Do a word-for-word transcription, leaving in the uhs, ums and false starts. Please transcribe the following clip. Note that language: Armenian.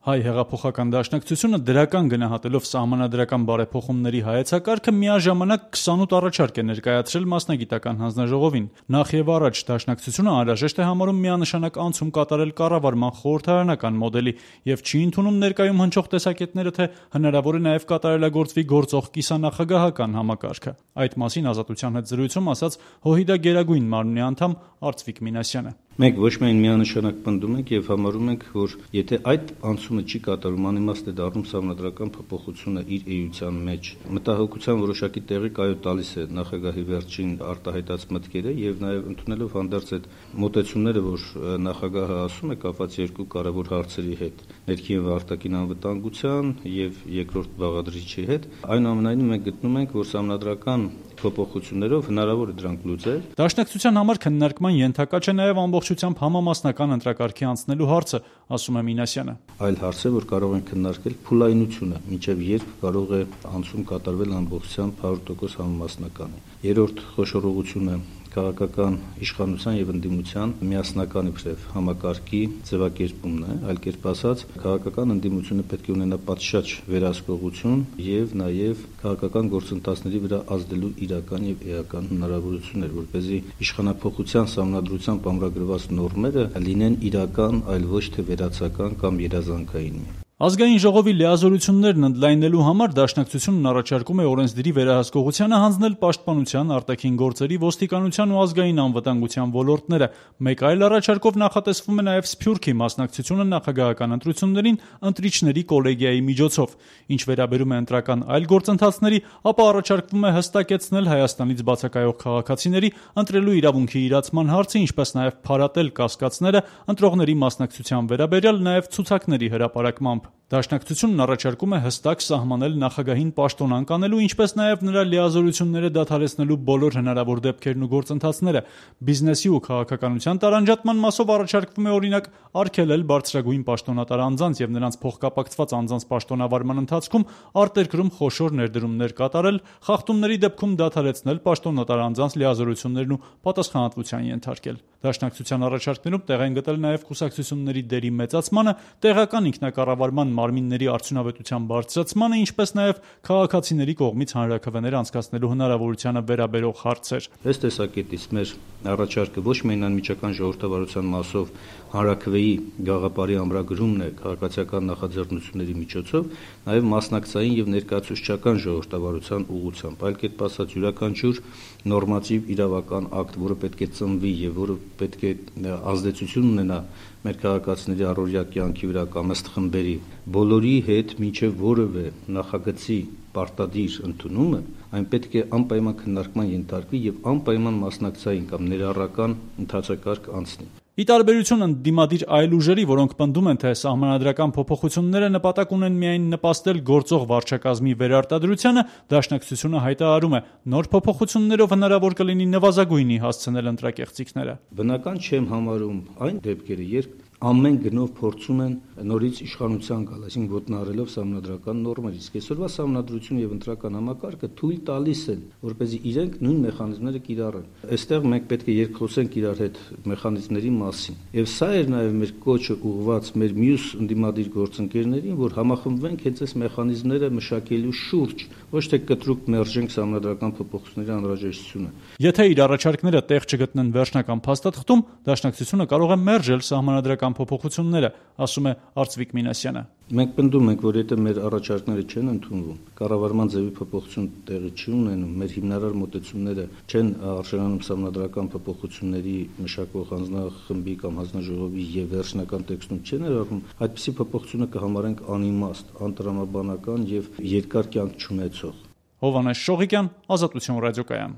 Հայ հեղափոխական դաշնակցությունը դրական գնահատելով սահմանադրական բարեփոխումների հայեցակարգը միաժամանակ քսանութ առաջարկ է ներկայացրել մասնագիտական հանձնաժողովին։ Նախ եւ առաջ դաշնակցությունը անհրաժեշտ է համարում միանշանակ անցում կատարել կառավարման խորհրդարանական մոդելի եւ չի ընդունում ներկայում հնչող տեսակետները, թե հնարավոր է նաեւ կատարելագործվի գործող կիսանախագահական համակարգը։ Այդ մասին Ազատության հետ զրույցում ասաց ՀՅԴ Գերագույն մարմնի անդամ Արծվիկ Մինասյանը։ Մենք ոչ միայն միանշանակ պնդում ենք եւ համարում ենք, որ եթե այդ անցումը չի կատարում, անիմաստ է դառնում սահմանադրական փոփոխությունը իր էության մեջ։ Մտահոգության որոշակի տեղի կայո տալիս է նախագահի վերջին արտահայտած մտքերը եւ նաեւ ընդունելով հանդերձ այդ մոտեցումները, որ նախագահը ասում է կապված երկու կարևոր հարցերի հետ՝ ներքին եւ արտաքին անվտանգության եւ երկրորդ բաղադրիչի հետ, այնուամենայնիվ մենք գտնում ենք, որ սահմանադրական փոփոխություններով հնարավոր է դրանք լուծել։ Դաշնակցության համար քննարկման ենթակա չէ նաեւ ամբողջությամբ համամասնական ընտրակարգի անցնելու հարցը, ասում է Մինասյանը։ Այլ հարց է, որ կարող են քննարկել փուլայնությունը, մինչև երբ կարող է անցում կատարվել ամբողջությամբ հարյուր տոկոս համամասնականի։ Երրորդ խոշորողությունը քաղաքական իշխանության եւ ընդդիմության միասնական իբրև համակարգի ձևակերպումն է, այլ կերպ ասած, քաղաքական ընդդիմությունը պետք է ունենա պատշաճ վերահսկողություն եւ նաեւ քաղաքական գործընթացների վրա ազդելու իրական եւ էական հնարավորություններ, որպեսզի իշխանափոխության սահմանադրությամբ ամրագրված նորմերը լինեն իրական, այլ ոչ թե վերացական կամ երազանքային։ Ազգային ժողովի լիազորություններն ընդլայնելու համար դաշնակցությունն առաջարկում է օրենսդրի վերահսկողությանը հանձնել պաշտպանության, արտաքին գործերի, ոստիկանության ու ազգային անվտանգության ոլորտները։ Մեկ այլ առաջարկով նախատեսվում է նաև Սփյուռքի մասնակցությունը նախագահական ընտրություններին ընտրիչների կոլեգիայի միջոցով։ Ինչ վերաբերում է ընտրական այլ գործընթացների, ապա առաջարկվում է հստակեցնել Հայաստանից բացակայող քաղաքացիների ընտրելու իրավունքի իրացման հարցը, ինչպես նաև փարատել կասկածները ընտրողների մասնակցության վերաբերյալ նաև ցուցակների հրապարակմամբ։ Դաշնակցությունն առաջարկում է հստակ սահմանել նախագահին պաշտոնանկ անելու, ինչպես նաև նրա լիազորությունները դադարեցնելու բոլոր հնարավոր դեպքերն ու գործընթացները։ Բիզնեսի ու քաղաքականության տարանջատման մասով առաջարկվում է օրինակ արգելել բարձրագույն պաշտոնատար անձանց եւ նրանց փոխկապակցված անձանց պաշտոնավարման ընթացքում արտերկրում խոշոր ներդրումներ կատարել, խախտումների դեպքում դադարեցնել պաշտոնատար անձանց լիազորություններն ու պատասխանատվության ենթարկել։ Դաշնակցության առաջարկներում տեղ են գտել նաև կուսակցությունների դերի մեծացմանը, տեղական ինքնակառավարման մարմինների արդյունավետության բարձրացմանը, ինչպես նաև քաղաքացիների կողմից հանրաքվեներ անցկացնելու հնարավորությանը վերաբերող հարցեր։ Ըստ տեսակետից մեր առաջարկը ոչ միայն անմիջական ժողովրդավարության մասով հանրաքվեի գաղափարի ամրագրումն է քաղաքացիական նախաձեռնությունների միջոցով, նաև մասնակցային եւ ներկայացուցչական ժողովրդավարության ուղղությամբ, այլ կերպ ասած յուրաքանչյուր նորմատիվ իրավական ակտ, որը պետք է ծնվի եւ որը պետք է ազդեցություն ունենա մեր քաղաքացիների առօրյա կյանքի վրա կամ ըստ խմբերի, բոլորի հետ մինչև որևէ նախագծի պարտադիր ընդունումը, այն պետք է անպայման քննարկման ենթարկվի եւ անպայման մասնակցային կամ ներառական ընթացակարգ անցնի։ Ի տարբերություն ընդդիմադիր այլ ուժերի, որոնք պնդում են, թե սահմանադրական փոփոխությունները նպատակ ունեն միայն նպաստել գործող վարչակազմի վերարտադրությանը, դաշնակցությունը հայտարարում է, նոր փոփոխություններով հնարավոր կլինի նվազագույնի հասցնել ընտրակեղծիքները։ Բնական չեմ համարում այն դեպքերը, երբ ամեն գնով փորձում են նորից իշխանության գալ, այսինքն ոտնահարելով սահմանադրական նորմեր, իսկ այսօրվա սահմանադրությունը եւ ընտրական համակարգը թույլ տալիս են, որպեսզի իրենք նույն մեխանիզմները կիրառեն։ Այստեղ մենք պետք է երկխոսենք իրար հետ մեխանիզմների մասին։ Եվ սա էր նաեւ մեր կոչը ուղղված մեր մյուս ընդդիմադիր գործընկերներին, որ համախմբվենք հենց այս մեխանիզմները մշակելու շուրջ, ոչ թե կտրուկ մերժենք սահմանադրական փոփոխությունների անհրաժեշտությունը։ Եթե իր առաջարկները տեղ չգտնեն վերջնական փաստաթղթում, դաշնակցությունը կարող է մերժել սահմանադրական փոփոխությունները, ասում է Արծվիկ Մինասյանը։ Մենք պնդում ենք, որ եթե մեր առաջարկները չեն ընդունվում, կառավարման ձևի փոփոխություն տեղի չի ունենում, մեր հիմնարար մոտեցումները չեն արժանանում սահմանադրական փոփոխությունների մշակող հանձնախմբի կամ հանձնաժողովի եւ վերջնական տեքստում չեն ներառվում, այդպիսի փոփոխությունը կհամարենք անիմաստ, անտրամաբանական եւ երկար կյանք չունեցող։ Հովհաննես Շողիկյան, Ազատություն ռադիոկայան։